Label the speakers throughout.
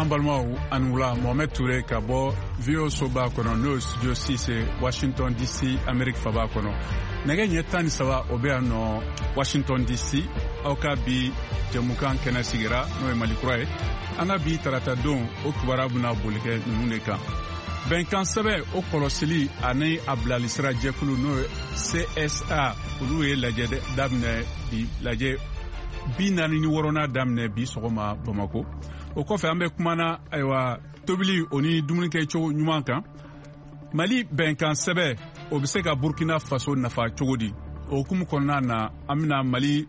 Speaker 1: An balimaw, a ni wula. Mohamed Toure ka bɔ VOA soba kɔnɔ, n'o ye studio 6, Washington DC, Amerique faba kɔnɔ. Nɛgɛ ɲɛ 13, o bɛ yan nɔ Washington DC. Aw ka bi jɛmukan kɛnɛ sigira, n'o ye Mali kura ye. An ka bi tarata don, o kibaruya bɛna boli kɛ ninnu de kan: bɛnkan sɛbɛn, o kɔlɔsili ani a bilalisira jɛkulu, n'o ye CSA, olu ye lajɛ daminɛ bi, lajɛ 46nan daminɛ bi sɔgɔma Bamako. O kɔfɛ, an bɛ kumana, ayiwa, tobili o ni dumunikɛcogo ɲuman kan. Mali bɛnkan sɛbɛn, o bɛ se ka Burkina Faso nafa cogo di? O hukumu kɔnɔna na, an bɛna Mali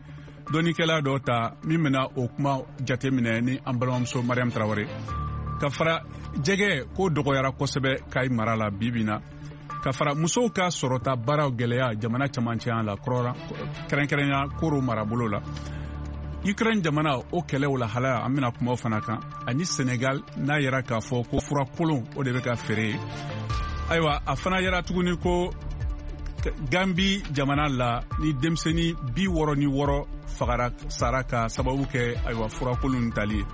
Speaker 1: dɔnnikɛla dɔ ta min bɛna o kuma jateminɛ ni an balimamuso Mariam Tarawele. Ka fara jɛgɛ ko dɔgɔyara kosɛbɛ Kayi mara la bi bi na, ka fara musow ka sɔrɔta baaraw gɛlɛya jamana camancɛya la, kɛrɛnkɛrɛnya Koro marabolo la. Ukraine jamana, o kɛlɛw lahalaya, an bɛna kuma o fana kan, ani Senegal n'a yɛrɛ k'a fɔ ko fura kolon, o de bɛ ka feere. Ayiwa, a fana yɛrɛ tuguni ko Gambi jamana la, ni denmisɛnnin 66 fagara, sara ka sababu kɛ, ayiwa, furakolon tali ye.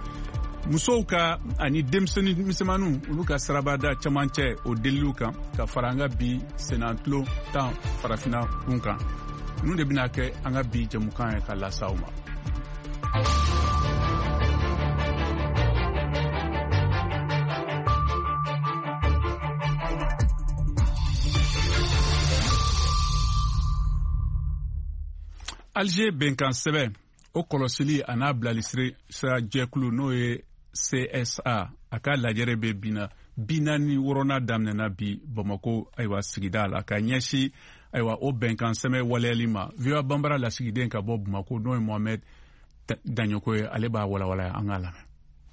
Speaker 1: Musow ka ani denmisɛnnin misɛnmaninw, olu ka sirabada camancɛ, o deliliw kan, ka fara an ka bi sennantulon tan farafinna kun kan. Ninnu de bɛna kɛ an ka bi jɛmukan ye ka lase aw ma. Alger bɛnkan sɛbɛn, o kɔlɔsili a n'a bilali sira jɛkulu, n'o ye CSA, a ka lajɛrɛ bɛ bi na, 46nan daminɛna bi Bamako, ayiwa, sigida la, ka ɲɛsin, ayiwa, o bɛnkan sɛbɛn waleyali ma. VOA Banbara lasigiden ka bɔ Bamako, n'o ye Mohamɛd Daɲɔkɔ ye, ale b'a walawala. An k'a lamɛn.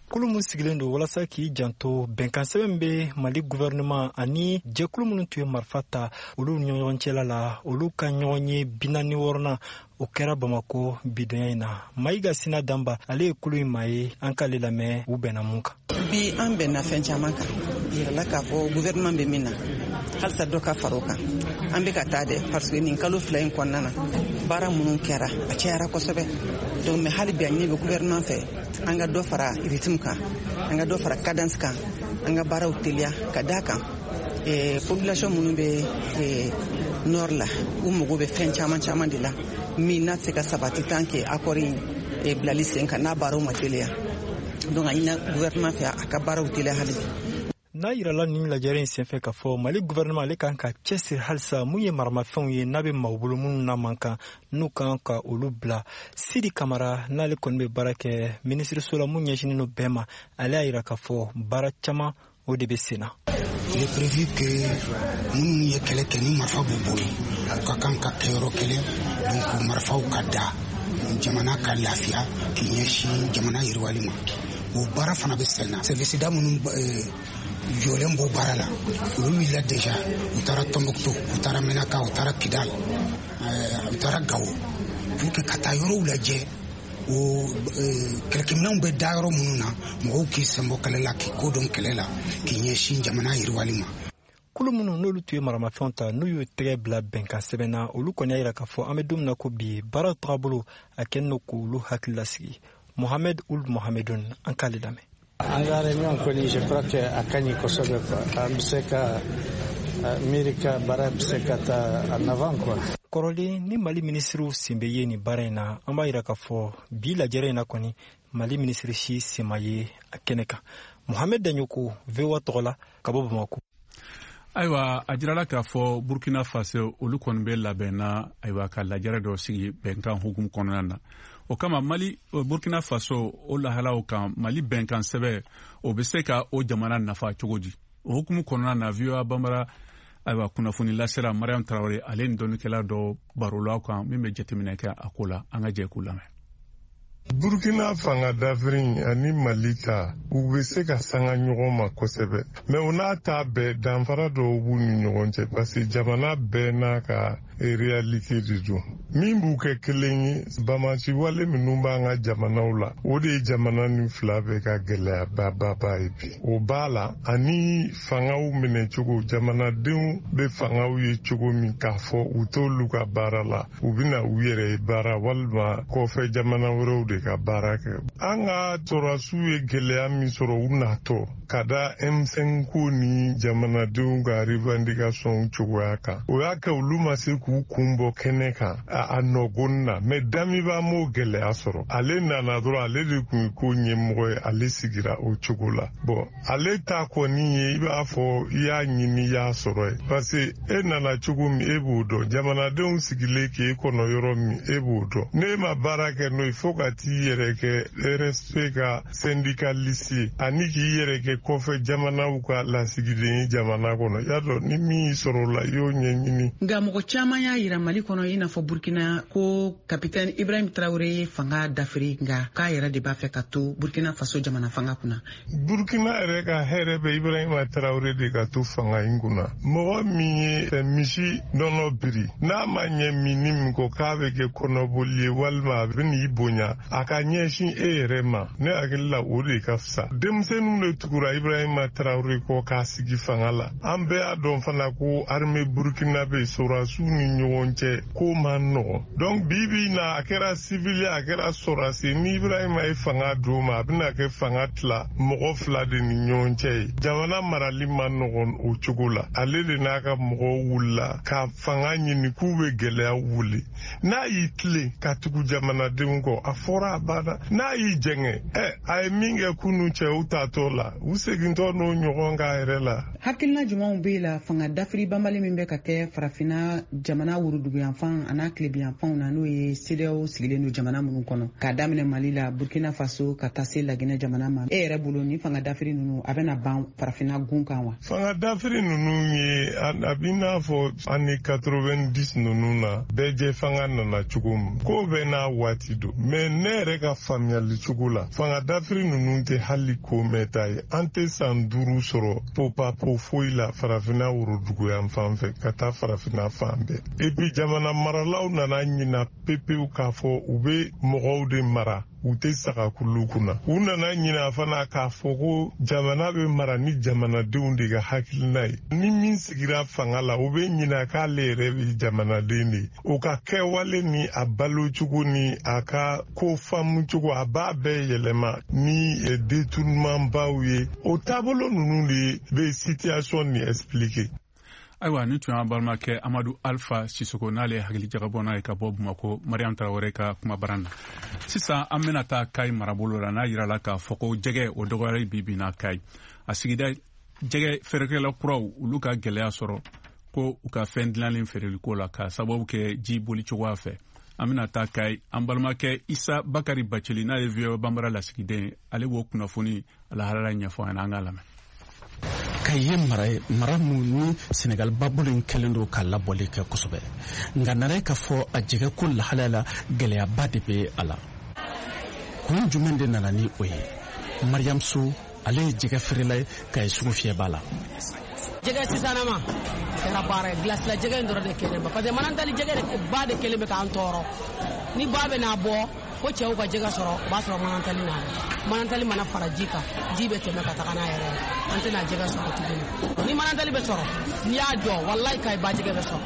Speaker 2: Kulu min sigilen don walasa k'i janto bɛnkan sɛbɛn bɛ Mali gouvernement ani jɛkulu minnu tun ye marifa ta, olu ni ɲɔgɔn cɛla la, olu ka ɲɔgɔn ye 46nan, o kɛra Bamako bidonya in na. Mayiga Sina Danba, ale ye kulu in maa ye. An k'ale lamɛn, u bɛnna mun kan?
Speaker 3: Bi, an bɛnna fɛn caman kan. Yirala k'a fɔ gouvernement bɛ min na, halisa dɔ ka fara o kan. An bɛ ka taa dɛ, parce que nin kalo 2 in kɔnɔna na, baara minnu kɛra, a cayara kosɛbɛ. Donc, mais hali bi, a ɲini bɛ gouvernement fɛ, an ka dɔ fara rythme kan, an ka dɔ fara cadence kan, an ka baaraw teliya, ka d'a kan population minnu bɛ nord la, u mago bɛ fɛn caman caman de la min n'a tɛ se ka sabati tant que accord in bilali sen kan, n'a baaraw ma teliya. Donc, a ɲinina gouvernement fɛ, a ka baaraw teliya hali bi.
Speaker 2: N'a yirala nin lajɛrɛ in senfɛ k'a fɔ Mali gouvernement, ale kan ka cɛsiri halisa mun ye maramafɛnw ye n'a bɛ maaw bolo minnu n'a man kan, n'u kan ka olu bila. Sidi Kamara, n'ale kɔni bɛ baara kɛ minisiriso la mun ɲɛsinnen don bɛɛ ma, ale y'a yira k'a fɔ baara caman, o de bɛ sen na.
Speaker 4: Il est prévu que minnu ye kɛlɛ kɛ ni marifa b'u bolo, u ka kan ka kɛ yɔrɔ kelen. Donc marifaw ka da, jamana ka lafiya k'i ɲɛsin jamana yiriwali ma. O baara fana bɛ sen na. Service da minnu jɔlen b'o baara la, olu wulila déjà. U taara Tombouctou, u taara Menaka, u taara Kidal, u taara Gao, pour que ka taa yɔrɔw lajɛ, o kɛlɛkɛminɛnw bɛ da yɔrɔ minnu na, mɔgɔw k'i senbɔ kɛlɛ la, k'i ko dɔn kɛlɛ la, k'i ɲɛsin jamana yiriwali ma.
Speaker 2: Kulu minnu n'olu tun ye maramafɛnw ta, n'u y'u tɛgɛ bila bɛnkan sɛbɛn na, olu kɔni y'a yira k'a fɔ an bɛ don min na ko bi, baaraw tagabolo a kɛlen don k'olu hakili lasigi. Mohamed Ould Mohamedun, an k'ale lamɛn.
Speaker 5: An ka réunion kɔni, je crois que a ka ɲi kosɛbɛ quoi. An bɛ se ka miiri ka baara bɛ se ka taa en avant quoi.
Speaker 2: Kɔrɔlen ni Mali minisiriw sen bɛ ye nin baara in na, an b'a yira k'a fɔ bi lajɛrɛ in na kɔni, Mali minisiri si sen ma ye a kɛnɛ kan. Mohamed Daɲoko, VOA tɔgɔ la, ka bɔ Bamako.
Speaker 1: Ayiwa, a jirala k'a fɔ Burkina Faso, olu kɔni bɛ labɛnna, ayiwa, ka lajɛrɛ dɔ sigi bɛnkan hukumu kɔnɔna na. O kama, Mali, Burkina Faso, o lahalaw kan, Mali bɛnkan sɛbɛn, o bɛ se ka o jamana nafa cogo di? O hukumu kɔnɔna na, VOA Banbara, ayiwa, kunnafoni lasera Mariam Tarawele, ale ni dɔnnikɛla dɔ barola kan min bɛ jateminɛ kɛ a ko la. An ka jɛ k'u lamɛn.
Speaker 6: Burkina fanga dafiri ani Mali ta, u bɛ se ka sanga ɲɔgɔn ma kosɛbɛ, mais o n'a ta bɛɛ, danfara dɔw b'u ni ɲɔgɔn cɛ, parce que jamana bɛɛ n'a ka réalité de don. Min b'u kɛ kelen ye, bamaci wale minnu b'an ka jamanaw la, o de ye jamana ni fila bɛɛ ka gɛlɛyabababa ye bi. O b'a la, ani fangaw minɛcogo, jamanadenw bɛ fangaw ye cogo min k'a fɔ u t'olu ka baara la, u bɛna u yɛrɛ ye baara walima kɔfɛ jamana wɛrɛw de. de ka baara kɛ. An ka sɔrɔdasiw ye gɛlɛya min sɔrɔ u natɔ ka da M5 ko ni jamanadenw ka revendication cogoya kan, o y'a kɛ olu ma se k'u kun bɔ kɛnɛ kan a nɔgɔni na. Mais Damiba m'o gɛlɛya sɔrɔ, ale nana dɔrɔn, ale de kun ye ko ɲɛmɔgɔ ye, ale sigira o cogo la. Bon, ale ta kɔni ye i b'a fɔ i y'a ɲini i y'a sɔrɔ ye, parce que e nana cogo min e b'o dɔn, jamanadenw sigilen k'e kɔnɔ yɔrɔ min e b'o dɔn. N'e ma baara kɛ n'o ye fo ka t'i yɛrɛ kɛ RSP ka syndicaliste ye ani k'i yɛrɛ kɛ kɔfɛ jamanaw ka lasigiden ye jamana kɔnɔ, y'a dɔn ni min y'i sɔrɔ o la i y'o ɲɛɲini.
Speaker 7: Nka mɔgɔ caman y'a yira Mali kɔnɔ, i n'a fɔ Burkina, ko kapitɛni Ibrahim Traoré ye fanga dafiri, nka k'a yɛrɛ de b'a fɛ ka to Burkina Faso jamana fanga kunna.
Speaker 6: Burkina yɛrɛ ka hɛrɛ bɛ Ibrahima Traoré de ka to fanga in kunna. Mɔgɔ min ye misi nɔnɔ biri, n'a ma ɲɛ minni min kɔ k'a bɛ kɛ kɔnɔboli ye walima a bɛ n'i bonya, a ka ɲɛsin e yɛrɛ ma, ne hakili la o de ka fisa. Denmisɛnninw de tugura Ibrahima Traoré kɔ k'a sigi fanga la. An bɛɛ y'a dɔn fana ko armée burkinabé sɔrɔdasiw ni ɲɔgɔn cɛ ko man nɔgɔn. Donc bi bi in na, a kɛra civil, a kɛra sɔrɔdasi, ni Ibrahima ye fanga d'o ma, a bɛna kɛ fanga tila mɔgɔ fila de ni ɲɔgɔn cɛ ye. Jamana marali man nɔgɔn o cogo la. Ale de n'a ka mɔgɔw wulila ka fanga ɲini k'u bɛ gɛlɛya wuli. N'a y'i tilen ka tugu jamanadenw kɔ, a fɔra a banna. N'a y'i jɛngɛ, a ye min kɛ kunun cɛw tatɔ la, u segintɔ n'o ɲɔgɔn k'a yɛrɛ la.
Speaker 7: Hakilina jumɛnw b'e la fanga dafiri banbali min bɛ ka kɛ farafinna jamana woroduguyanfan an'a tilebiyanfanw na, n'o ye CEDEAO sigilen don jamana minnu kɔnɔ, k'a daminɛ Mali la, Burkina Faso, ka taa se Laginɛ jamana ma? E yɛrɛ bolo, ni fanga dafiri ninnu a bɛna ban farafinna gun kan wa?
Speaker 6: Fanga dafiri ninnu ye a b'i n'a fɔ année 90 ninnu na, bɛɛ jɛ fanga nana cogo min, ko bɛɛ n'a waati don. Mais ne yɛrɛ ka faamuyali cogo la, fanga dafiri ninnu tɛ hali ko mɛnta ye. An tɛ san 5 sɔrɔ popapo foyi la farafinna woroduguyan fan fɛ ka taa farafinna fan bɛɛ. Et puis jamana maralaw nana ɲina pepewu k'a fɔ u bɛ mɔgɔw de mara, u tɛ saga kulu kunna. U nana ɲina fana k'a fɔ ko jamana bɛ mara ni jamanadenw de ka hakilina ye. Ni min sigira fanga la, u bɛ ɲina k'ale yɛrɛ bɛ jamanaden de ye. O ka kɛwale ni a balocogo ni a ka ko faamucogo, a b'a bɛɛ yɛlɛma ni détournement baw ye. O taabolo ninnu de bɛ situation nin expliquer.
Speaker 1: Ayiwa, ni tun y'an balimakɛ Amadu Alpha Sisoko, n'ale ye hakili jagabɔ n'a ye ka bɔ Bamako, Mariam Tarawele ka kumabara na. Sisan an bɛna taa Kayi marabolo la, n'a yirala k'a fɔ ko jɛgɛ o dɔgɔyali bi bi na Kayi. A sigida jɛgɛ feerekɛla kuraw, olu ka gɛlɛya sɔrɔ ko u ka fɛn dilanlen feereliko la k'a sababu kɛ ji boli cogoya fɛ. An bɛna taa Kayi, an balimakɛ Isa Bakari Bacili, n'a ye VOA Banbara lasigiden ye, ale b'o kunnafoni lahalaya ɲɛfɔ an ɲɛna, an k'a lamɛn.
Speaker 8: Kayi ye mara ye, mara mun ni Senegal babolo in kɛlen don ka labɔli kɛ kosɛbɛ, nka nana ye k'a fɔ a jɛgɛ ko lahalaya la, gɛlɛyaba de bɛ a la. Kun jumɛn de nana ni o ye? Mariam So, ale ye jɛgɛ feerela ye Kayi sugu fiyɛba la.
Speaker 9: Jɛgɛ sisanama kɛra baara ye, glace la jɛgɛ in dɔrɔn de kɛlen ba, parce que manantali jɛgɛ de ba de kɛlen bɛ k'an tɔɔrɔ. Ni ba bɛ n'a bɔ ko cɛw ka jɛgɛ sɔrɔ, o b'a sɔrɔ manantali nana. Manantali mana fara ji kan, ji bɛ tɛmɛ ka taga n'a yɛrɛ ye, an tɛna jɛgɛ sɔrɔ tuguni. Ni manantali bɛ sɔrɔ, n'i y'a jɔ, walayi Kayi ba jɛgɛ bɛ sɔrɔ,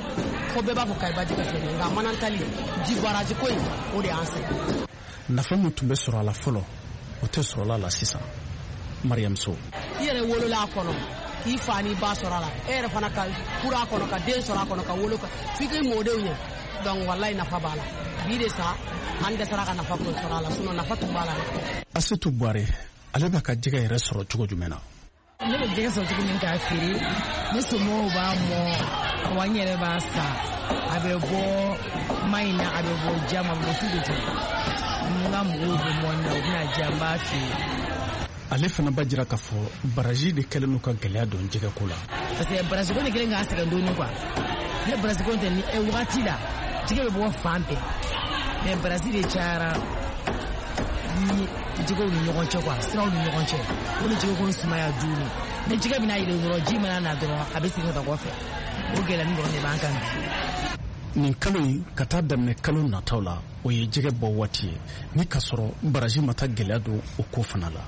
Speaker 9: fo bɛɛ b'a fɔ Kayi ba jɛgɛ filɛ nin ye. Nka manantali ji baraji ko in, o de y'an sɛgɛn.
Speaker 8: Nafa min tun bɛ sɔrɔ a la fɔlɔ, o tɛ sɔrɔ a la sisan. Mariam So:
Speaker 9: I yɛrɛ wolola a kɔnɔ, k'i fa n'i ba sɔrɔ a la, e yɛrɛ fana ka furu a kɔnɔ, ka den sɔrɔ a kɔnɔ, ka wolo f'i k'i mɔdenw ye. Donc walayi nafa b'a la. Bi de sa an dɛsɛra ka nafa ko sɔrɔ a la, sinon nafa tun b'a la.
Speaker 8: Asetu Buware, ale b'a ka jɛgɛ yɛrɛ sɔrɔ cogo jumɛn na?
Speaker 10: Ne bɛ jɛgɛ sɔrɔ cogo min k'a feere, ne somɔgɔw b'a mɔ, wa n yɛrɛ b'a san. A bɛ bɔ Mayina, a bɛ bɔ Jama, a bɛ bɔ tout de tout. N ka mɔgɔw bɛ mɔni na, u bɛna di, an b'a feere.
Speaker 8: Ale fana b'a jira k'a fɔ baraji de kɛlen don ka gɛlɛya don jɛgɛko la.
Speaker 10: Parce que baraji ko de kɛlen k'a sɛgɛn dɔɔni quoi. Ne baraji ko tɛ ni wagati la, jɛgɛ bɛ bɔ fan bɛɛ. Mais baraji de cayara ni jɛgɛw ni ɲɔgɔn cɛ quoi, siraw ni ɲɔgɔn cɛ. O ni jɛgɛ ko sumaya joona. Ni jɛgɛ bɛna yɛlɛ dɔrɔn, ji mana na dɔrɔn, a bɛ segin ka taa kɔfɛ. O gɛlɛya dɔrɔn de b'an kan bi.
Speaker 8: Nin kalo in ka taa daminɛ kalo nataw la, o ye jɛgɛ bɔ waati ye, ni k'a sɔrɔ baraji ma taa gɛlɛya don o ko fana la.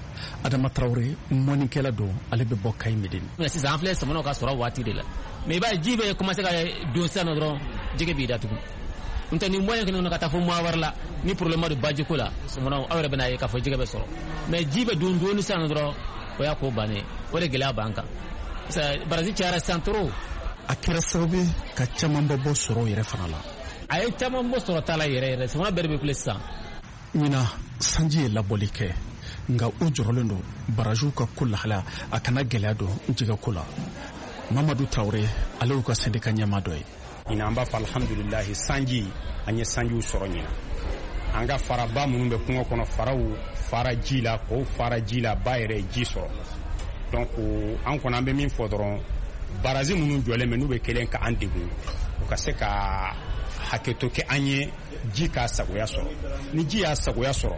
Speaker 8: Adama Tarawele, mɔnikɛla don, ale bɛ bɔ Kayi Medini.
Speaker 11: Sisan an filɛ sɔmɔnɔ ka sɔrɔ waati de la, mais i b'a ye ji bɛ commencer ka don sisan nɔ dɔrɔn, jɛgɛ b'i datugu. N'o tɛ ni moyen kɛnɛ ka taa fo mois wɛrɛ la ni problème de baji ko la, sɔmɔnɔ aw yɛrɛ bɛna ye k'a fɔ jɛgɛ bɛ sɔrɔ. Mais ji bɛ don dɔɔni sisan dɔrɔn, o y'a ko bannen. O de gɛlɛya b'an kan. Baraji cayara sisan trop.
Speaker 8: A kɛra sababu ye ka camanba bɔ sɔrɔ yɛrɛ fana la.
Speaker 11: A ye caman bɔ sɔrɔ ta la yɛrɛ yɛrɛ. Sɔmɔnɔ bɛɛ de bɛ kule sisan.
Speaker 8: Ɲinan sanji ye labɔli kɛ, nka u jɔrɔlen don barajiw ka ko lahalaya a kana gɛlɛya don jɛgɛko la. Mamadu Tarawele, ale y'u ka syndicat ɲɛmaa dɔ ye.
Speaker 12: Ɲinan an b'a fɔ alhamdulilahi, sanji an ye sanjiw sɔrɔ ɲinan. An ka faraba minnu bɛ kungo kɔnɔ, faraw fara ji la, k'o fara ji la, ba yɛrɛ ye ji sɔrɔ. Donc an kɔni an bɛ min fɔ dɔrɔn, baraji minnu jɔlen bɛ n'u bɛ kelen ka an degun, u ka se ka hakɛto kɛ an ye, ji k'a sagoya sɔrɔ. Ni ji y'a sagoya sɔrɔ,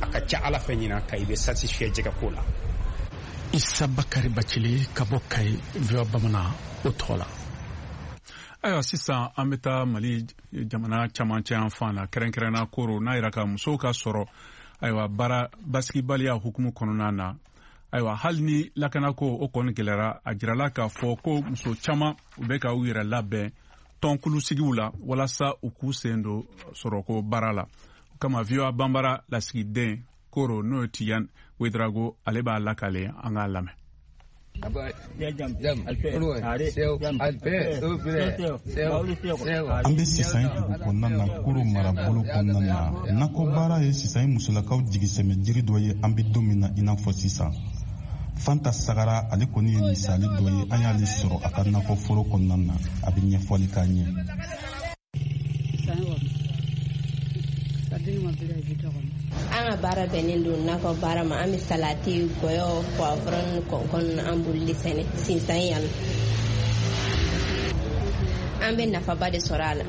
Speaker 12: a ka ca Ala fɛ ɲinan ka i bɛ satisfait jɛgɛko la.
Speaker 8: Isa Bakari Bacili ka bɔ Kayi, VOA Bamanan o tɔgɔ la.
Speaker 1: Ayiwa, sisan an bɛ taa Mali jamana camancɛ yan fan na, kɛrɛnkɛrɛnna Koro, n'a yira ka musow ka sɔrɔ, ayiwa, baara basigibaliya hukumu kɔnɔna na. Ayiwa, hali ni lakanako o kɔni gɛlɛyara, a jirala k'a fɔ ko muso caman u bɛ ka u yɛrɛ labɛn tɔnkulusigiw la walasa u k'u sen don sɔrɔko baara la. O kama VOA Banbara lasigiden Koro, n'o ye Tiyan Wedrago, ale b'a lakale, an k'a lamɛn.
Speaker 13: An bɛ Sisan dugu kɔnɔna na, Koro marabolo kɔnɔna na. Nakɔbaara ye Sisan musolakaw jigisɛmɛ jiri dɔ ye an bɛ don min na i n'a fɔ sisan. Fanta Sagara, ale kɔni ye misali dɔ ye. An y'ale sɔrɔ a ka nakɔforo kɔnɔna na, a bɛ ɲɛfɔli k'an ye.
Speaker 14: An ka baara bɛnnen don nakɔ baara ma. An bɛ salati, gɔyɔ, poivron, kɔnkɔn, an b'olu de sɛnɛ Sinsan yan. An bɛ nafaba de sɔrɔ a la.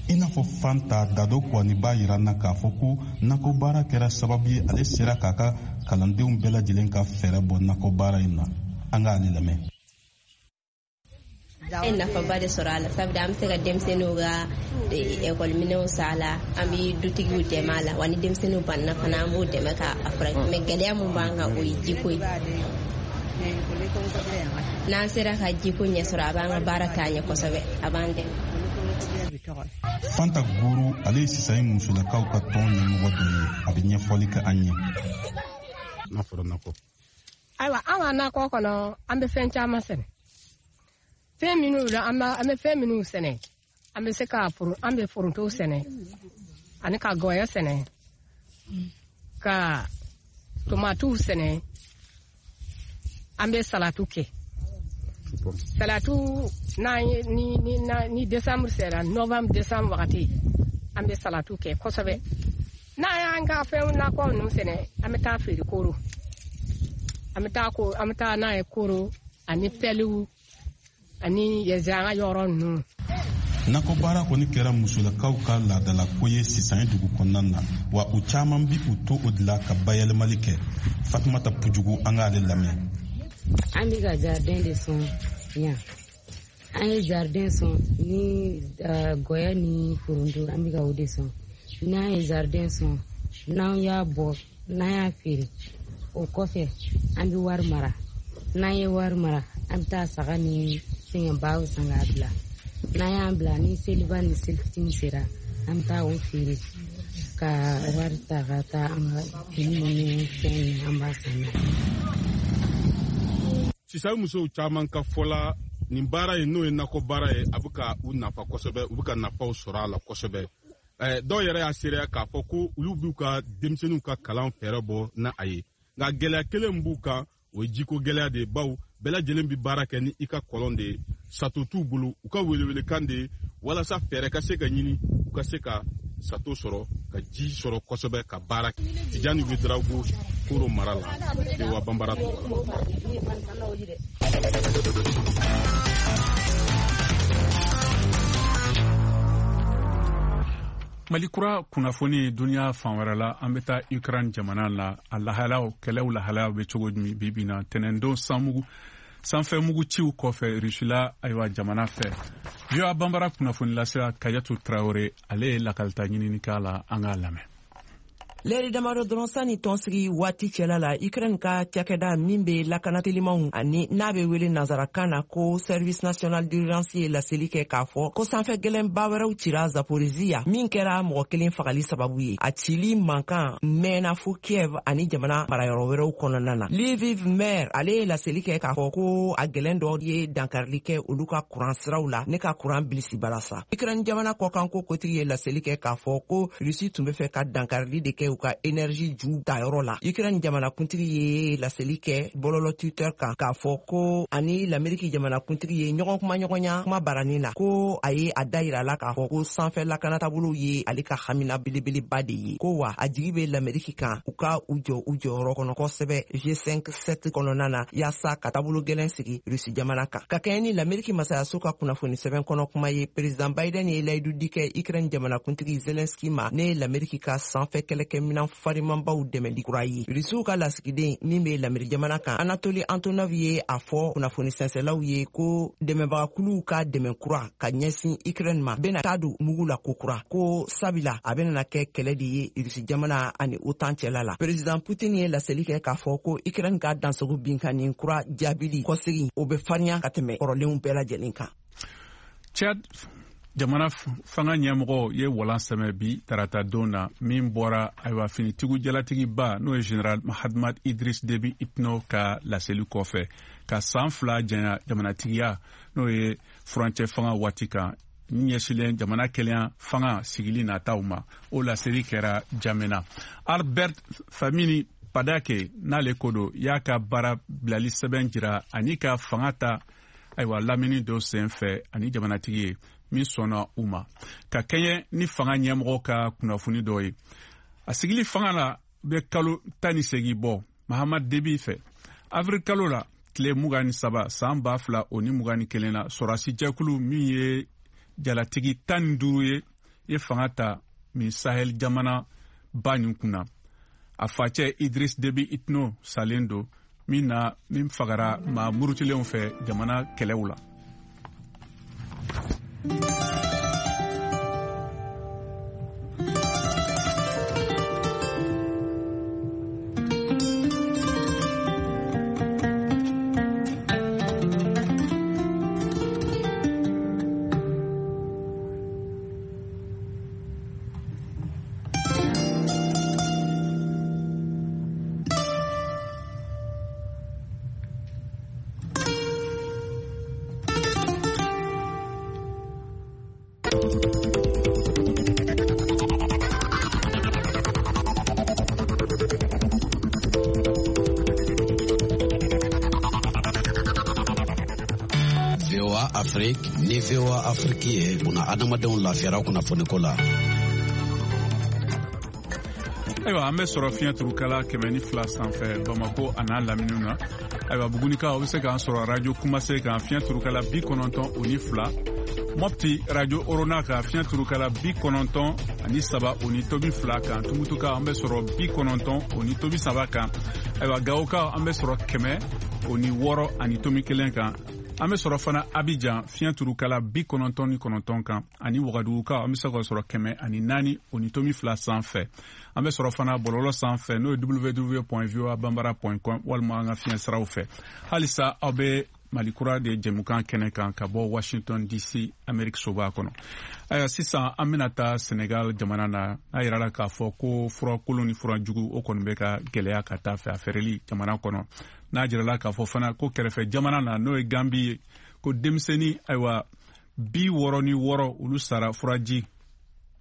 Speaker 13: I n'a fɔ Fanta Dado Kuwani b'a yira n na k'a fɔ ko nakɔbaara kɛra sababu ye ale sera k'a ka kalandenw bɛɛ lajɛlen ka fɛɛrɛ bɔ nakɔbaara in na. An k'ale lamɛn.
Speaker 14: An ye nafaba de sɔrɔ a la, sabu an bɛ se ka denmisɛnninw ka ekɔliminɛnw san a la, an bɛ dutigiw dɛmɛ a la, wa ni denmisɛnninw banna fana, an b'u dɛmɛ k'a furakɛ. Mais gɛlɛya mun b'an kan, o ye jiko ye. N'an sera ka jiko ɲɛ sɔrɔ, a b'an ka baara taa ɲɛ kosɛbɛ, a b'an dɛmɛ.
Speaker 13: Fanta Goro, ale ye Sisan musolakaw ka tɔn ɲɛmɔgɔ dɔ ye, a bɛ ɲɛfɔli kɛ an ye. N'a fɔra nakɔ.
Speaker 15: Ayiwa, an ka nakɔ kɔnɔ, an bɛ fɛn caman sɛnɛ. Fɛn minnu la, an bɛ fɛn minnu sɛnɛ, an bɛ se ka an bɛ foronto sɛnɛ, ani ka gɔyɔ sɛnɛ, ka tomatiw sɛnɛ, an bɛ salatu kɛ. Salatu n'an ye ni ni ni décembre sera, novembre décembre wagati, an bɛ salatu kɛ kosɛbɛ. N'an y'an ka fɛn nakɔ ninnu sɛnɛ, an bɛ taa feere Koro. An bɛ taa ko an bɛ taa n'a ye Koro ani pɛliw ani yɛzɛ an ka yɔrɔ ninnu.
Speaker 13: Nakɔbaara kɔni kɛra musolakaw ka laadalako ye Sisan dugu kɔnɔna na, wa u caman bi u to o de la ka bayɛlɛmali kɛ. Fatumata Pujugu, an k'ale lamɛn.
Speaker 16: An bɛ ka jardin de sɔn yan. An ye jardin sɔn ni gɔyɔ ni foronto, an bɛ ka o de sɔn. N'an ye jardin sɔn, n'an y'a bɔ, n'an y'a feere, o kɔfɛ an bɛ wari mara. N'an ye wari mara, an bɛ taa saga ni fɛngɛbaw san k'a bila. N'an y'an bila, ni seliba ni selifitini sera, an bɛ taa o feere ka wari ta ka taa an ka fini ninnu fɛn ninnu, an b'a san n'a ye.
Speaker 17: Sisan musow caman ka fɔ la, nin baara in, n'o ye nakɔ baara ye, a bɛ ka u nafa kosɛbɛ, u bɛ ka nafaw sɔrɔ a la kosɛbɛ. Dɔw yɛrɛ y'a seereya k'a fɔ ko olu b'u ka denmisɛnninw ka kalan fɛɛrɛ bɔ n'a a ye. Nka gɛlɛya kelen min b'u kan, o ye jiko gɛlɛya de ye, bawo bɛɛ lajɛlen bɛ baara kɛ ni i ka kɔlɔn de ye, sato t'u bolo. U ka welewelekan de ye walasa fɛɛrɛ ka se ka ɲini, u ka se ka sato sɔrɔ, ka ji sɔrɔ kosɛbɛ ka baara kɛ. Tijani Wedrago, Koro mara la, VOA Banbara tɔgɔ la.
Speaker 1: Mali kura kunnafoni duniya fan wɛrɛ la, an bɛ taa Ukraine jamana la. A lahalaw, kɛlɛw lahalaw bɛ cogo min bi bi na, tɛnɛndon sanmugu sanfɛ mugu ciw kɔfɛ Rusila, ayiwa, jamana fɛ. VOA Banbara kunnafoni lasela Kajatu Traore, ale ye lakalita ɲinini k'a la, an k'a lamɛn.
Speaker 18: Lɛri damadɔ dɔrɔn sanni tɔnsigi waati cɛla la, Ukraine ka cakɛda min bɛ lakana telimanw ani n'a bɛ wele nansarakan na ko Service national d'urgence ye laseli kɛ k'a fɔ ko sanfɛ gɛlɛnba wɛrɛw cira Zaporizhia, min kɛra mɔgɔ kelen fagali sababu ye. A cili mankan mɛnna fo Kiev ani jamana marayɔrɔ wɛrɛw kɔnɔna na. Lviv maire, ale ye laseli kɛ k'a fɔ ko a gɛlɛn dɔ ye dankarili kɛ olu ka kuran siraw la ne ka kuran bilisi balasa. Ukraine jamana kɔkanko kotigi ye laseli kɛ k'a fɔ ko Rusi tun bɛ fɛ ka dankarili de kɛ u ka énergie ju tayɔrɔ la. Ukraine jamanakuntigi ye laseli kɛ bɔlɔlɔ Twitter kan k'a fɔ ko ani l'Ameriki jamanakuntigi ye ɲɔgɔn kumaɲɔgɔnya kuma baranin na, ko a ye a da yira la k'a fɔ ko sanfɛ lakanatabolow ye ale ka hamina belebeleba de ye, ko wa a jigi bɛ l'Ameriki kan u ka u jɔ u jɔyɔrɔ kɔnɔ kosɛbɛ G5 7 kɔnɔna na yaasa ka taabolo gɛlɛn sigi Rusi jamana kan. Ka kɛɲɛ ni l'Ameriki masayaso ka kunnafoni sɛbɛn kɔnɔ kuma ye, Président Biden ye layidu di kɛ Ukraine jamanakuntigi Zelensky ma ne ye l'Ameriki ka sanfɛ kɛlɛkɛminan farimanbaw dɛmɛli kura ye. Rusiw ka lasigiden min bɛ lamiri jamana kan, Anatoli Antonov, ye a fɔ kunnafoni sɛnsɛlaw ye ko dɛmɛbagakuluw ka dɛmɛ kura ka ɲɛsin Ukraine ma bɛna taa don mugu la kokura, ko sabila a bɛna kɛ kɛlɛ de ye Rusi jamana ani OTAN cɛla la. Président Putin ye laseli kɛ k'a fɔ ko Ukraine ka dansogo binkanni kura jaabili kɔsegin, o bɛ farinya ka tɛmɛ kɔrɔlenw bɛɛ lajɛlen kan.
Speaker 1: Chad jamana fanga ɲɛmɔgɔ ye walan sɛmɛ bi tarata don na min bɔra, ayiwa, finitigiw jalatigiba, n'o ye Général Mahamat Idriss Déby Itno ka laseli kɔfɛ ka san 2 janya jamanatigiya, n'o ye furancɛ fanga waati kan ɲɛsilen jamana kelenya fanga sigili nataw ma. O laseli kɛra Jamena. Albert Famini Padake, n'ale ko don, y'a ka baara bilali sɛbɛn jira ani ka fanga ta, ayiwa, lamini dɔ sen fɛ ani jamanatigi ye min sɔnna u ma. Ka kɛɲɛ ni fanga ɲɛmɔgɔ ka kunnafoni dɔ ye, a sigili fanga la bɛ kalo 18 bɔ Mahamad Debi fɛ. Avril kalo la, tile 23, san 2021 na, sɔrɔdasi jɛkulu min ye jalatigi 15 ye, ye fanga ta min Sahel jamana ba nin kunna. A facɛ Idris Debi Itno salen don min na, min fagara maa murutilenw fɛ jamana kɛlɛw la.
Speaker 19: VOA Afrique ni VOA Afrique ye buna adamadenw lafiyara kunnafoniko la.
Speaker 1: Ayiwa, an bɛ sɔrɔ fiɲɛ turukala 102 sanfɛ Bamako a n'a laminiw na. Ayiwa, Bugunikaw, aw bɛ se k'an sɔrɔ radio Kumase kan, fiɲɛ turukala 92. Mɔpti, radio Orona kan, fiɲɛ turukala 93.2 kan. Tumutukaw, an bɛ sɔrɔ 90.3 kan. Ayiwa, Gawokaw, an bɛ sɔrɔ 106.1 kan. An bɛ sɔrɔ fana Abidjan, fiɲɛ turukala 99 kan, ani Wagadugukaw, an bɛ se ka sɔrɔ 104.2 sanfɛ. An bɛ sɔrɔ fana bɔlɔlɔ sanfɛ, n'o ye www.voabambara.com, walima an ka fiɲɛ siraw fɛ. Halisa aw bɛ Mali kura de jɛmukan kɛnɛ kan ka bɔ Washington DC, Amerique soba kɔnɔ. Ayiwa, sisan an bɛna taa Senegal jamana na. N'a yirala k'a fɔ ko fura kolon ni fura jugu, o kɔni bɛ ka gɛlɛya ka taa fɛ a feereli jamana kɔnɔ. N'a jirala k'a fɔ fana ko kɛrɛfɛ jamana na, n'o ye Gambi ye, ko denmisɛnnin, ayiwa, 66, olu sara furaji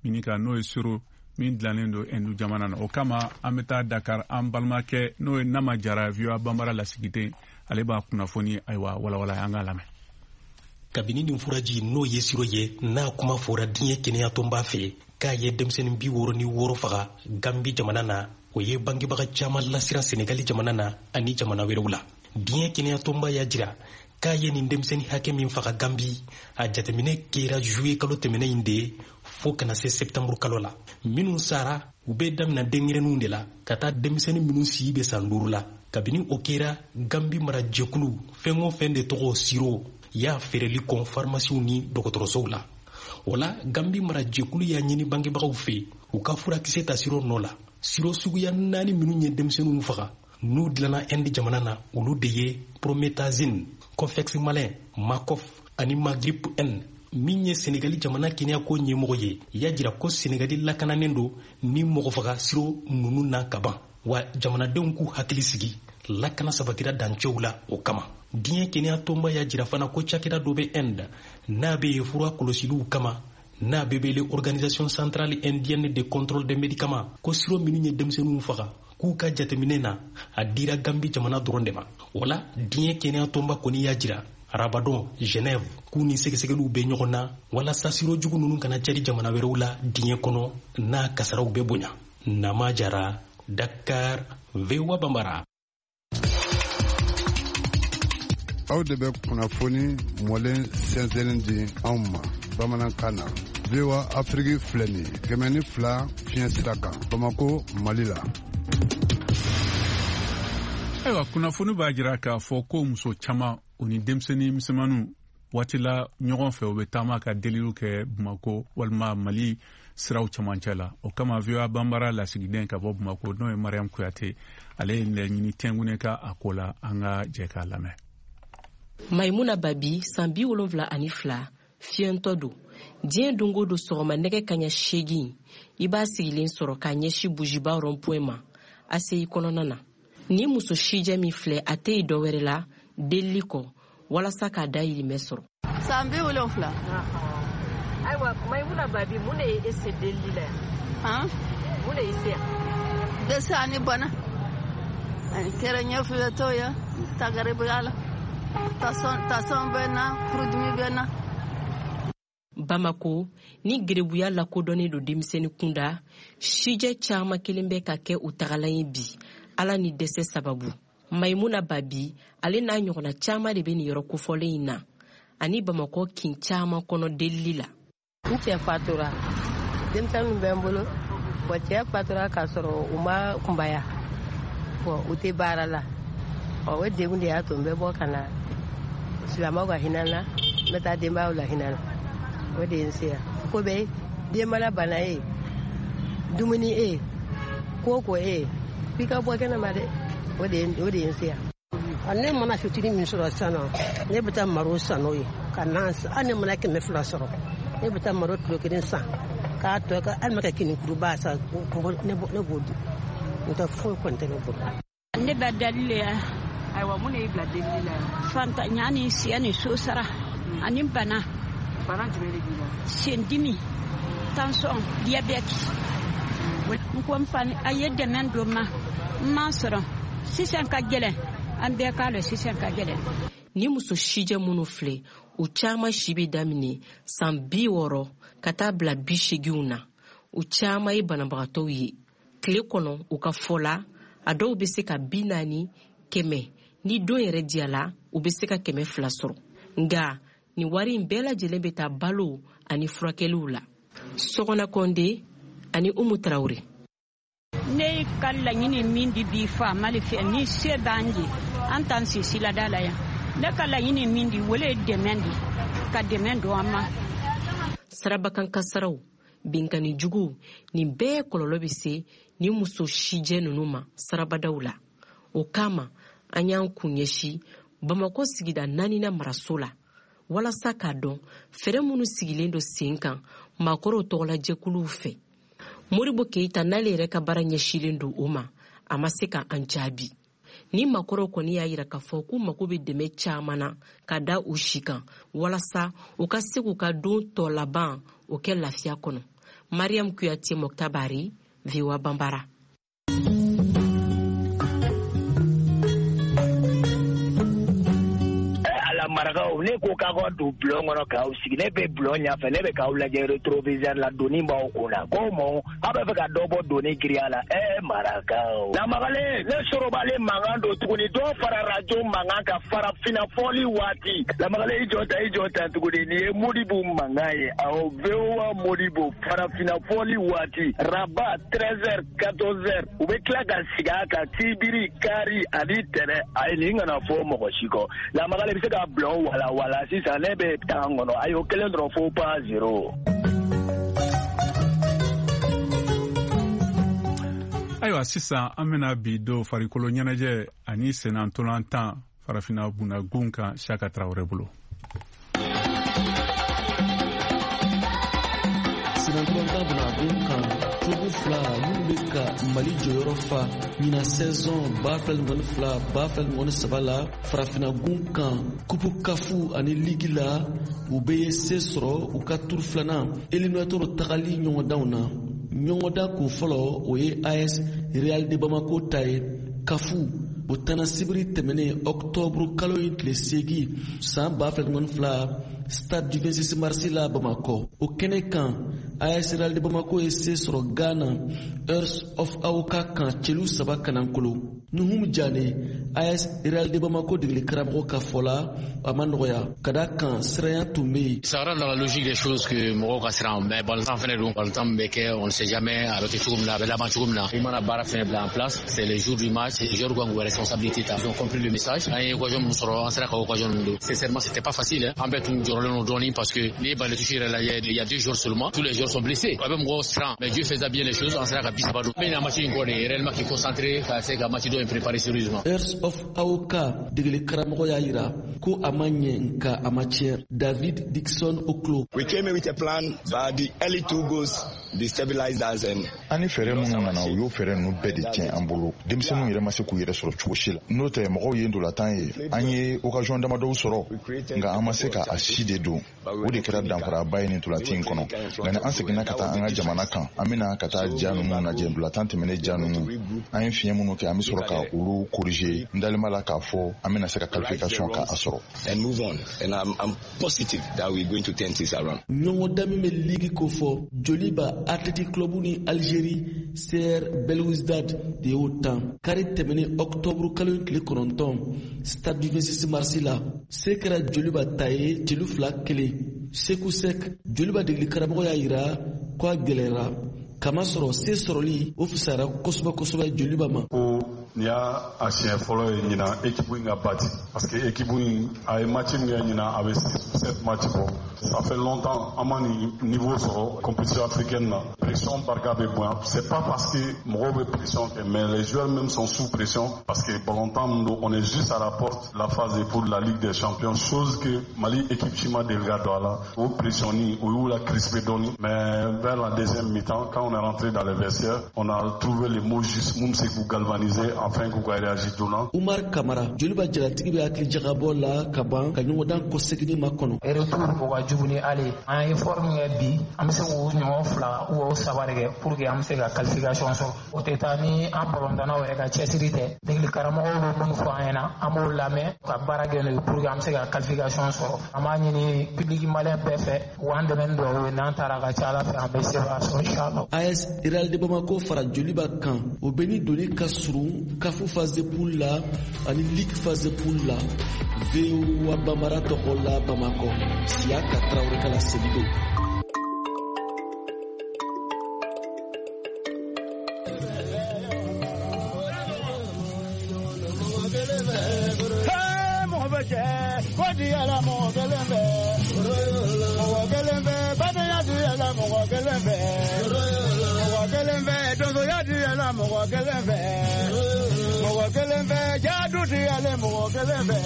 Speaker 1: min kan, n'o ye siro min dilannen don Ɛndu jamana na. O kama an bɛ taa Dakar, an balimakɛ, n'o ye Nama Jara, VOA Banbara lasigiden, ale b'a kunnafoni, ayiwa, walawala. An k'a lamɛn.
Speaker 20: Kabini nin furaji, n'o ye siro ye, n'a kuma fɔra diɲɛ kɛnɛyatɔnba fɛ k'a ye denmisɛnnin 66 faga Gambi jamana na, o ye bangebaga caman lasiran Senegali jamana na ani jamana wɛrɛw la. Diɲɛ kɛnɛyatɔnba y'a jira k'a ye nin denmisɛnnin hakɛ min faga Gambi, a jateminɛ kɛra juye kalo tɛmɛnen in de fo kana se sɛptanburu kalo la. Minnu sara, u bɛ damina denyɛrɛninw de la ka taa denmisɛnnin minnu si bɛ san 5 la. Kabini o kɛra, Gambi marajɛkulu fɛn o fɛn de tɔgɔ siro y'a feereli kɔn farimasiw ni dɔgɔtɔrɔsow la. O la, Gambi marajɛkulu y'a ɲini bangebagaw fɛ u ka furakisɛ ta siro nɔ la. Siro suguya 4 minnu ye denmisɛnninw faga n'u dilanna Inde jamana na, olu de ye promethazine, Kofexmalin, Macof ani Magrip N. Min ye Senegali jamana kɛnɛyako ɲɛmɔgɔ ye, y'a jira ko Senegali lakananen don ni mɔgɔfaga siro ninnu na kaban, wa jamanadenw k'u hakili sigi, lakana sabatira dancɛw la o kama. Diɲɛ kɛnɛya tɔnba y'a jira fana ko cakɛda dɔ bɛ Inde n'a bɛ yen fura kɔlɔsiliw kama, n'a bɛ wele Organisation centrale indienne de contrôle des médicaments, ko siro minnu ye denmisɛnninw faga k'u ka jateminɛ na, a dira Gambi jamana dɔrɔn de ma. O la diɲɛ kɛnɛya tɔnba kɔni y'a jira arabadon Genève k'u ni sɛgɛsɛgɛliw bɛ ɲɔgɔn na walasa siro jugu ninnu kana cari jamana wɛrɛw la diɲɛ kɔnɔ n'a kasaraw bɛ bonya. Nama Jara, Dakar, VOA Bambara.
Speaker 21: Aw de bɛ kunnafoni mɔlen sɛnsɛnnen di anw ma bamanankan na. VOA Afrique filɛ nin ye 102 fiɲɛ sira kan Bamako, Mali la.
Speaker 1: Ayiwa, kunnafoni b'a jira k'a fɔ ko muso caman u ni denmisɛnnin misɛnmaninw waati la ɲɔgɔn fɛ, u bɛ taama ka deliliw kɛ Bamako walima Mali siraw camancɛ la. O kama VOA Banbara lasigiden ka bɔ Bamako, n'o ye Mariam Kuyate, ale ye laɲini tɛnkune ka a ko la. An ka jɛ k'a lamɛn.
Speaker 22: Maimuna Babi, san 72, fiyɛntɔ don. Diɲɛ don o don sɔgɔma nɛgɛ kaɲa 8, i b'a sigilen sɔrɔ k'a ɲɛsin Bujiba rond-point ma ACI kɔnɔna na. Ni muso sijɛ min filɛ, a tɛ yen dɔwɛrɛ la delili kɔ walasa k'a dayirimɛ sɔrɔ.
Speaker 23: San 70.
Speaker 22: Ayiwa, Maimuna Babi, mun de ye e se delili la yan?
Speaker 23: Han?
Speaker 22: Mun de y'i se yan?
Speaker 23: Dɛsɛ ani bana. Kɛra ɲɛfiyɛtɔ ye, tagaribuya la. Tasɔn bɛ na, furudimi bɛ na.
Speaker 22: Bamako ni gerebuya lakodɔnnen don denmisɛnnin kunda, sijɛ caman kelen bɛ ka kɛ u tagalan ye bi, Ala ni dɛsɛ sababu. Maimuna Babi, ale n'a ɲɔgɔnna caman de bɛ nin yɔrɔ kofɔlen in na ani Bamakɔ kin caman kɔnɔ delili la.
Speaker 24: N cɛ fatura, denmisɛnninw bɛ n bolo. Bɔn, cɛ fatura k'a sɔrɔ u ma kunbaya, bɔn u tɛ baara la. Ɔ, o degun de y'a to n bɛ bɔ ka na silamɛw ka hinɛ na, n bɛ taa denbayaw la hinɛ na. O de ye n se yan. Ko bɛɛ den mana bana ye, dumuni e, ko ko e, f'i ka bɔ kɛnɛma dɛ. O de ye n se yan.
Speaker 25: Ne mana fitinin min sɔrɔ sisan nɔ, ne bɛ taa maro san n'o ye ka na. Hali ne mana 200 sɔrɔ, ne bɛ taa maro kilo 1 san k'a tɔ kɛ, hali ma kɛ kinikuruba san, ne b'o dun. N'o tɛ foyi kɔni tɛ ne bolo.
Speaker 26: Ne bɛ dali le ya.
Speaker 22: Ayiwa, mun de y'i bila delili la yan?
Speaker 26: Fantanya ni siya ni so sara ani bana.
Speaker 22: Bana jumɛn de b'i la?
Speaker 26: Sendimi, tension, diabète. N ko n fa a ye dɛmɛ don n ma, n m'a sɔrɔ. Sisan ka gɛlɛn, an bɛɛ k'a lɔn sisan ka gɛlɛn.
Speaker 22: Ni muso sijɛ minnu filɛ, u caman si bɛ daminɛ san 60 ka taa bila 80 na. U caman ye banabagatɔw ye. Tile kɔnɔ, u ka fɔ la, a dɔw bɛ se ka 40, 100, ni don yɛrɛ diyala, u bɛ se ka 200 sɔrɔ. Nka nin wari in bɛɛ lajɛlen bɛ taa balo ani furakɛliw la. Sɔgɔna Kɔnde ani Umu Tarawele.
Speaker 26: Ne ka laɲini min di bi faama le fɛ, ni se b'an ye, an t'an si silada la yan. Ne ka laɲini min di, o le ye dɛmɛ di, ka dɛmɛ don an ma.
Speaker 22: Sirabakan kasaraw, binkanni juguw, nin bɛɛ kɔlɔlɔ bɛ se ni muso sijɛ ninnu ma sirabadaw la. O kama, an y'an kun ɲɛsin Bamakɔ sigida 4nan maraso la walasa k'a dɔn fɛɛrɛ minnu sigilen don sen kan maakɔrɔw tɔgɔlajɛkuluw fɛ. Modibo Keita n'ale yɛrɛ ka baara ɲɛsilen don o ma, a ma se ka an jaabi. Ni maakɔrɔw kɔni y'a yira k'a fɔ k'u mago bɛ dɛmɛ caman na ka da u si kan walasa u ka se k'u ka don tɔ laban o kɛ lafiya kɔnɔ. Mariam Kuyate Moctar Barry, VOA Bambara.
Speaker 27: Marakaw, ne ko k'aw ka don bulon kɔnɔ k'aw sigi, ne bɛ bulon ɲɛfɛ, ne bɛ k'aw lajɛ rétroviseur la, doni b'aw kun na. Ko mɔ, aw bɛ fɛ ka dɔ bɔ doni giriya la. Marakaw, lamagalen, ne sorobalen mankan don tuguni, dɔ fara radio mankan kan farafinna fɔli waati. Lamagalen, i jɔ ta, i jɔ ta tuguni, nin ye Modibo mankan ye. Awɔ, VOA Modibo farafinna fɔli waati, Rabat 13h 14h, u bɛ tila ka sigi a kan sibiri, kari ani tɛnɛ. Ayi, nin kana fɔ mɔgɔ si kɔ. Lamagalen bɛ se ka bulon wala wala sisan, ne bɛ tan kɔnɔ. Ayi, o kelen dɔrɔn, fo pas zéro.
Speaker 1: Ayiwa, sisan an bena bi do farikolo ɲɛnajɛ ani senantolantan farafina bunnagun kan, Siyaka Tarawele bolo.
Speaker 2: Senantolantan bunnagun kan, club fila minnu bɛ ka Mali jɔyɔrɔ fa ɲinan saison 2022 2023 la farafinagun kan, kupu kafu ani ligi la, u bɛ ye se sɔrɔ u ka turu filanan éliminatoire tagali ɲɔgɔndanw na. Ɲɔgɔndan kun fɔlɔ, o ye AS Real de Bamako ta ye kafu. O tana sibiri tɛmɛnen, ɔktɔburu kalo in tile 8 san 2022, stade du 26 mars la Bamakɔ. O kɛnɛ kan, AS Real de Bamako ye se sɔrɔ Ghana Hearts of Oak kan celu 3-0. Nuhum Jane, AS Real de Bamako degeli karamɔgɔ ka fɔ la, a ma nɔgɔya ka da kan siranya tun bɛ yen.
Speaker 3: Ça rentre dans la logique des choses que mɔgɔw ka siran, mais balontan fɛnɛ don, balontan min bɛ kɛ, on ne sait jamais a bɛ kɛ cogo min na, a bɛ laban cogo min na. I mana baara fɛnɛ bila en place, c'est le jour du match, les joueurs kan k'u responsabilité ta. Ils ont compris le message. An ye occasion min sɔrɔ, an sera ka occasion ninnu don. Sincèrement, c'était pas facile, hein. An bɛɛ tun jɔrɔlen don dɔɔni parce que n'i ye balle touche yɛrɛ lajɛ, il y a deux joueurs seulement, tous les joueurs sont blessés. A bɛ mɔgɔw siran, mais Dieu faisait bien les choses, an sera ka 30 don. N bɛ ɲina match in kɔ de, réellement k'i concentrer ka se ka match dɔ in préparer sérieusement.
Speaker 2: Hearts of Oak degeli karamɔgɔ y'a yira ko a ma ɲɛ, nka a ma tiɲɛ. David Dixon Oklo.
Speaker 4: We came in with a plan, but the early two goals destabilized us and
Speaker 5: An ni fɛɛrɛ minnu nana, u y'o fɛɛrɛ ninnu bɛɛ de tiɲɛ an bolo. Denmisɛnninw yɛrɛ ma se k'u yɛrɛ sɔrɔ cogo si la. N'o tɛ, mɔgɔw ye ndolantan ye, an ye occasion damadɔw sɔrɔ, nka an ma se ka a si de don. O de kɛra danfaraba ye nin ntolanci in kɔnɔ. Nka ni an seginna ka taa an ka jamana kan, an bɛna ka taa ja ninnu lajɛ, ntolantan tɛmɛnen ja ninnu, an ye fiɲɛ minnu kɛ, an bɛ sɔrɔ ka olu corriger. N dalen b'a la k'a fɔ an bɛna se ka qualification ka a sɔrɔ.
Speaker 4: And move on. And I'm positive that we're going to turn things around.
Speaker 2: Ɲɔgɔndan min bɛ ligi kofɔ, Joliba Athletic Club ni Algérie CR Belouizdad de y'o tan kari tɛmɛnen ɔktɔburu kalo in tile 9, stade du 26 mars la. Se kɛra Joliba ta ye celu 2-1. Seku Sek, Joliba degeli karamɔgɔ y'a yira ko a gɛlɛyara, kamasɔrɔ se sɔrɔli o fisayara kosɛbɛ kosɛbɛ Joliba ma.
Speaker 6: Ko nin y'a a siɲɛ fɔlɔ ye ɲinan équipe in ka battre, parce que équipe in a ye match min kɛ ɲinan, a bɛ 6 7 match bɔ. Ça fait longtemps an ma nin niveau sɔrɔ compétition africaine na. Pression barika bɛ bonya. C'est pas parce que mɔgɔw bɛ pression kɛ, mais les joueurs même sont sous pression, parce que balontan min don, on est juste à la porte de la phase de poule de la Ligue des Champions, chose que Mali équipe si ma deli ka don a la. O pression ni o y'u la crisper dɔɔni, mais vers la deuxième mi-temps, quand on est rentré dans les vestiaires, on a trouvé les mots justes mun bɛ se k'u galvaniser afin k'u ka réagir joona.
Speaker 2: Umar Kamara, Joliba jalatigi, bɛ hakili jagabɔ la ka ban ka ɲɔgɔndan kɔseginni makɔnɔ.
Speaker 7: Retour o ka jugu ni aller. An ye effort min kɛ bi, an bɛ se k'o ɲɔgɔn fila ou o saba de kɛ pour que an bɛ se ka qualification sɔrɔ. O tɛ taa ni an balontannaw yɛrɛ ka cɛsiri tɛ. Degeli karamɔgɔw bɛ minnu fɔ an ɲɛna, an b'o lamɛn ka baara kɛ n'o ye pour que an bɛ se ka qualification sɔrɔ. An b'a ɲini public malien bɛɛ fɛ u k'an dɛmɛ ni dugawu ye. N'an taara, ka ca Ala fɛ, an bɛ sebaaya sɔrɔ inchallah.
Speaker 2: AS Real de Bamako fara Joliba kan, o bɛ ni doni ka surun kafu phase de poule la ani ligue phase de poule la. VOA Bambara tɔgɔ la, Bamakɔ, Siyaka Tarawele ka laseli don.
Speaker 9: Mɔgɔ bɛ cɛ ko di yɛlɛ mɔgɔ kelen fɛ, mɔgɔ kelen fɛ badenya di yɛlɛ mɔgɔ kelen fɛ, mɔgɔ kelen fɛ donsoya di yɛlɛ mɔgɔ kelen fɛ, mɔgɔ kelen fɛ jadu di yɛlɛ mɔgɔ kelen fɛ,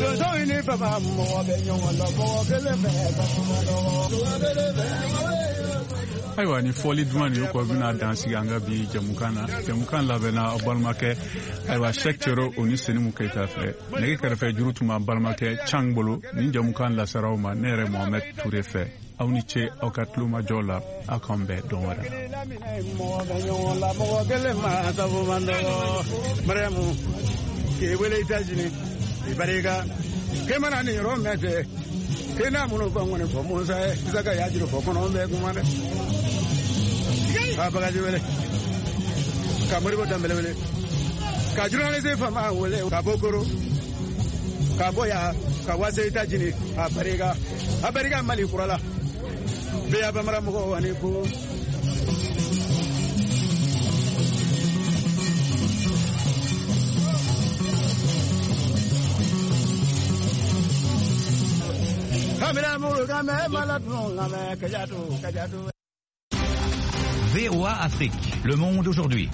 Speaker 9: donsow ni fama mɔgɔ bɛ ɲɔgɔn dɔn mɔgɔ kelen fɛ.
Speaker 1: Ayiwa, ni fɔli duman nin kɔ, bɛna dan sigi an ka bi jamukan na. Jamukan labɛnna aw balimakɛ, ayiwa, Sɛk Cɛro o ni Senimu Keyita fɛ. Nɛgɛ kɛrɛfɛ juru tun b'an balimakɛ Cang bolo. Nin jamukan lasaraw ma ne yɛrɛ Mohamɛd Ture fɛ. Aw ni ce aw ka tulomajɔ la. Aw k'an bɛn dɔn wɛrɛ.
Speaker 9: Mɔgɔ bɛ ɲɔgɔn la mɔgɔ kelen ma sabu man dɔgɔ. Mariyamu k'i wele États-Unis, i barika k'e mana nin yɔrɔ mɛn tɛ k'e n'a minnu fɔ ŋɔni fɔ Musa ye Isaka y'a juru fɔ kɔnɔ bɛɛ kuma dɛ. Ka bagaji wele, ka Moribo Danbɛlɛ wele, ka journaliste fama wele, ka bɔ Koro, ka bɔ yan ka wase États-Unis. A barika, a barika Mali kura la. Bɛɛ bamara mɔgɔw ani ko. Kamera mulu kame mala dun kame kajatu kajatu.
Speaker 28: VOA Afrique, le monde aujourd'hui.